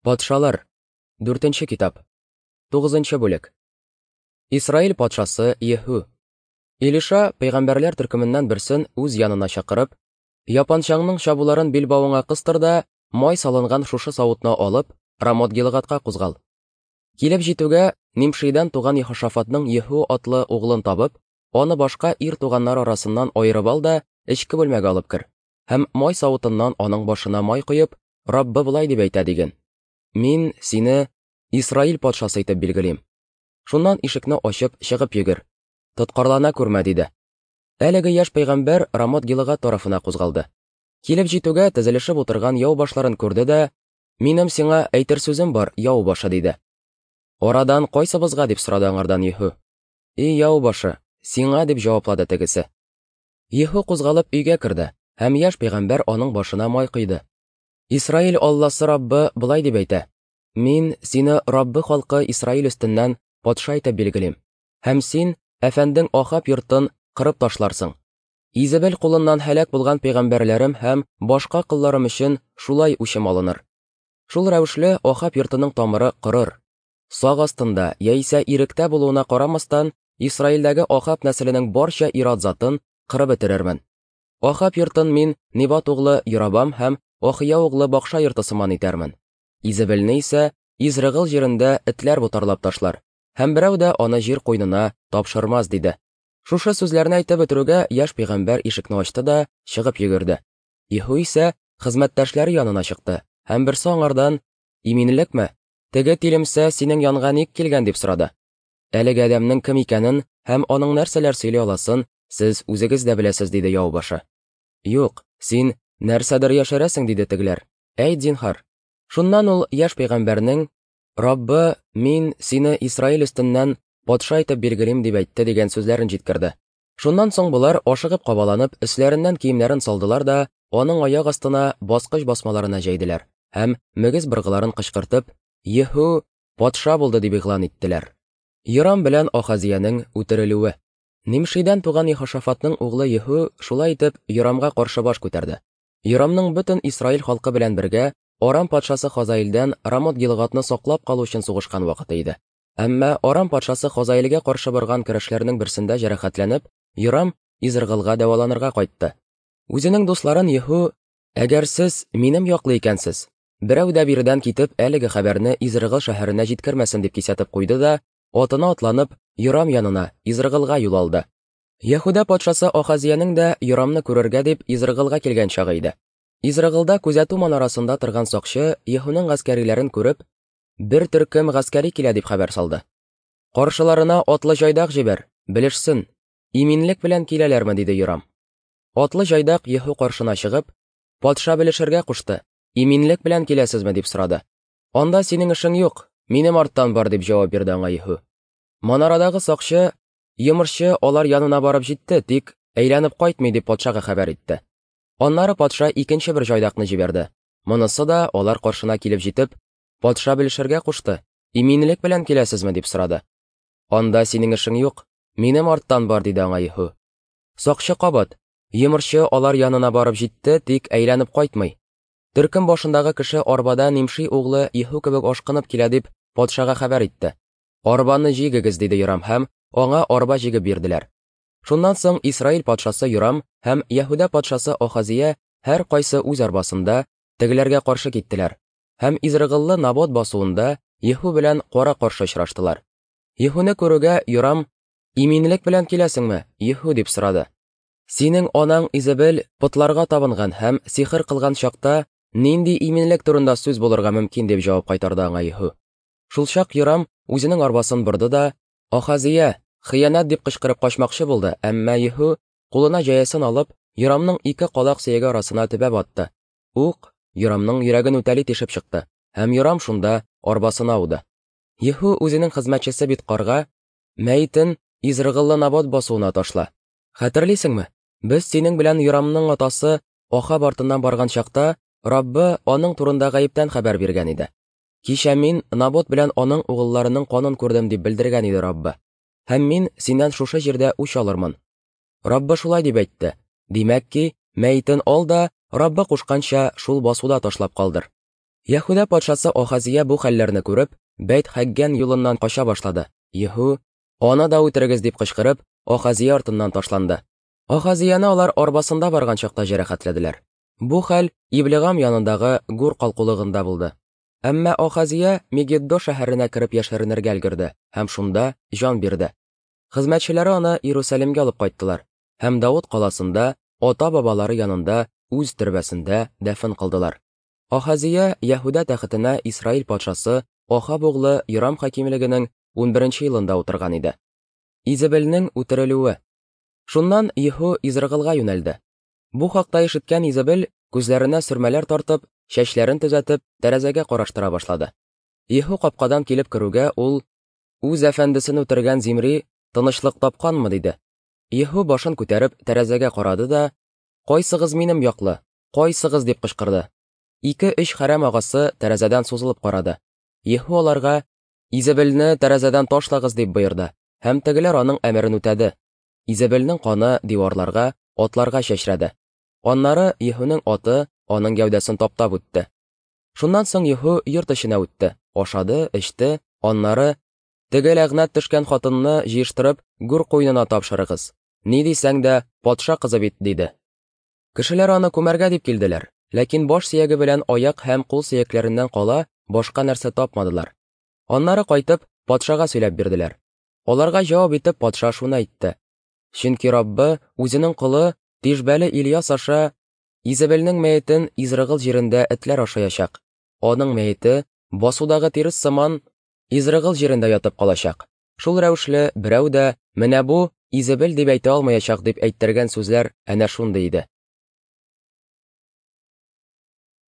Патшалар. Дүртенче китап. Тугызынчы бүлек. Исраил патшасы Еһу. Илиша пәйгамбәрләр төркеменнән берсен үз янына чакырып, Япанчаңның чабуларын билбавыңа кыстыр да, май салынган шушы савытны алып, Рамот-Гилгадка кузгал. Килеп җитүгә, Нимшидан туган Ехошафатның Еһу атлы углын табып, аны башка ир туганнар арасыннан аерып ал да, эчке бүлмәгә алып кер. Һәм май савытыннан аның башына май коеп, Раббы болай дип әйтә диген. Мин сине Исраил патшасы итеп билгелим. Шуннан ишекне ачып чыгып йөгер. Тоткарлана күрмә, диде. Әлеге яшь пәйгамбәр Рамот Гилыгад тарафына кузгалды. Килеп җитүгә тезелешеп утырган яу башларын күрде дә, Минем сиңа әйтер сүзем бар, яу башы, диде. Арадан кайсыбызга, дип сорады аңардан Еһу. И яу башы, сиңа, дип җаваплады тегесе. Еһу кузгалып өйгә керде, һәм яшь пәйгамбәр аның башына май койды. Исраил Алласы Раббы болай дип әйтә: Мин сине Раббы халкы Исраил өстеннән патша итеп билгелим, һәм син әфәндең Ахаб йортын кырып ташларсың. Изебел кулыннан һәлак булган пәйгамбәрләрем һәм башка колларым өчен шулай үчем алыныр. Шул рәвешле Ахаб йортының тамыры корыр. Сак астында яисә иректә булуына карамастан, Исраилдәге Ахаб нәселенең барча ир-ат затын кырып бетерермен. Ахаб йортын мин Небат углы Йоробам һәм Ахия углы Бакша йорты сыман итәрмен. Изебелне исә Изрыгыл җирендә этләр ботарлап ташлар, һәм берәү дә аны җир куйнына тапшырмас, диде. Шушы сүзләрне әйтеп бетерүгә, яшь пәйгамбәр ишекне ачты да чыгып йөгерде. Иһу исә хезмәттәшләре янына чыкты, һәм берсе аңардан, Иминлекме? Теге тилемсә синең янга ник килгән, дип сорады. Әлеге адәмнең кем икәнен һәм аның нәрсәләр сөйли аласын сез үзегез дә беләсез, диде яу башы. Юк, син нәрсәдер яшерәсең, диде тегеләр. Әйт, зинһар. Шуннан ул яшь пәйгамбәрнең, Раббы, мин сине Исраил өстеннән патша итеп билгелим, дип әйтте, дигән сүзләрен җиткерде. Шуннан соң болар ашыгып кабаланып, өсләреннән киемнәрен салдылар да, аның аяк астына баскыч басмаларына җәйделәр һәм мөгез быргыларын кычкыртып, Еһу патша булды дип игълан иттеләр. Йорам белән Ахазиянең үтерелүе. Нимшидән туган Ехошафатның углы Еһу шулай итеп Йорамга каршы баш күтәрде. Йорамның бөтен Исраил халкы белән бергә Арам патшасы Хазаилдән Рамот-Гилгадны саклап калу өчен сугышкан вакыты иде. Әмма Арам патшасы Хазаилгә каршы барган көрәшләрнең берсендә җәрәхәтләнеп, Йорам Изргылга дәваланырга кайтты. Үзенең дусларын Еһу, Әгәр сез минем яклы икәнсез, берәү дә биредән китеп әлеге хәбәрне Изргыл шәһәренә җиткермәсен, дип кисәтеп куйды да, атына атланып, Йорам янына, Изргылга юл алды. Яһүдә патшасы Ахазиянең дә Йорамны күрергә дип Изргылга килгән чагы иде. Изргылда күзәтү манарасында торган сакчы Еһуның гаскәриләрен күреп, бер төркем гаскәри килә дип хәбәр салды. Каршыларына атлы җайдак җибәр, белешсен, иминлек белән киләләрме, диде Йорам. Атлы җайдак Еһу каршына чыгып, патша белешергә кушты, иминлек белән киләсезме, дип сорады. Анда синең эшең юк, минем арттан бар, дип җавап бирде аңа Еһу. Манарадагы сакчы, йомышчы алар янына барып җитте, тик әйләнеп кайтмый, дип патшага хәбәр итте. Аннары патша икенче бер җайдакны җибәрде. Монысы да алар каршына килеп җитеп, патша белешергә кушты, иминлек белән киләсезме, дип сорады. Анда синең эшең юк, минем арттан бар, диде аңа Еһу. Сакчы кабат, йомышчы алар янына барып җитте, тик әйләнеп кайтмый. Төркем башындагы кеше арбада Нимши углы Еһу кебек ашкынып килә, дип патшага хәбәр итте. Арбаны җигегез, диде Йорам, һәм аңа арба җигеп бирделәр. Шуннан соң Исраил патшасы Йорам һәм Яһүдә патшасы Ахазия һәр кайсы үз арбасында тегеләргә каршы киттеләр һәм Изрыгыллы Набот басуында Еһу белән кара-каршы очраштылар. Еһуны күрүгә Йорам, Иминлек белән киләсеңме, Еһу, дип сорады. Синең анаң Изебел потларга табынган һәм сихер кылган чакта нинди иминлек турында сүз булырга мөмкин, дип җавап кайтарды аңа Еһу. Шулчак Йорам үзенең арбасын борды да, Ахазия, хыянәт дип кычкырып качмакчы булды, әмма Еһу кулына җәясен алып, Йорамның ике калак сөяге арасына төбәп атты. Ук Йорамның йөрәген үтәли тишеп чыкты, һәм Йорам шунда арбасына ауды. Еһу үзенең хезмәтчесе Биткарга, Мәетен Изрыгыллы Набот басуына ташла. Хәтерлисеңме, без синең белән Йорамның атасы Ахаб артыннан барган чакта, Раббы аның турында гаептән хәбәр биргән иде. Кичә мин Набот белән аның угылларының канын күрдем, дип белдергән иде Раббы. Һәм мин синнән шушы җирдә үч алырмын. Раббы шулай дип әйтте. Димәк ки, мәетен ал да, Раббы кушканча, шул басуда ташлап калдыр. Яһүдә патшасы Ахазия бу хәлләрне күреп, Бәйт-Хәггән юлыннан кача башлады. Еһу, Аны да үтерегез, дип кычкырып, Ахазия артыннан ташланды. Ахазияне алар арбасында барган чакта җәрәхәтләделәр. Бу хәл Иблегам янындагы Гур калкулыгында булды. Әмма Ахазия Мегиддо шәһәренә кереп яшеренергә өлгерде һәм шунда җан бирде. Хезмәтчеләре аны Иерусалимгә алып кайттылар һәм Давыт каласында ата-бабалары янында үз төрбәсендә дәфен кылдылар. Ахазия Яһүдә тәхетенә Исраил патшасы Ахаб углы Йорам хакимлегенең унберенче елында утырган иде. Изебелнең үтерелүе. Шуннан Еһу Изрыгылга юнәлде. Бу хакта ишеткән Изебел, күзләренә сөрмәләр тартып, чәчләрен төзәтеп, тәрәзәгә караштыра башлады. Еһу капкадан килеп керүгә, ул, Үз әфәндесен үтергән Зимри тынычлык тапканмы? диде. Еһу башын күтәреп тәрәзәгә карады да, Кайсыгыз минем яклы? Кайсыгыз? дип кычкырды. Ике-өч хәрәм агасы тәрәзәдән сузылып карады. Еһу аларга, Изебелне тәрәзәдән ташлагыз, дип боерды, һәм тегеләр аның әмерен үтәде. Изебелнең каны диварларга, атларга чәчрәде. Аннары Еһуның аты аның гәүдәсен таптап үтте. Шуннан соң Еһу йорт эченә үтте, ашады, эчте, аннары, Теге ләгънәт төшкән хатынны җыештырып, гүр куенына тапшырыгыз. Ни дисәң дә, патша кызы бит, диде. Кешеләр аны күмәргә дип килделәр, ләкин баш сөяге белән аяк һәм кул сөякләреннән кала башка нәрсә тапмадылар. Аннары кайтып, патшага сөйләп бирделәр. Аларга җавап итеп патша шуны әйтте: Чөнки Раббы үзенең колы Тишбәле Ильяс аша Изебелнең мәетен Изрыгыл җирендә этләр ашаячак. Аның мәете басудагы тирес сыман Изрыгыл җирендә ятып калачак. Шул рәвешле берәү дә, менә бу Изебел дип әйтә алмаячак дип әйттергән сүзләр әнә шундый иде.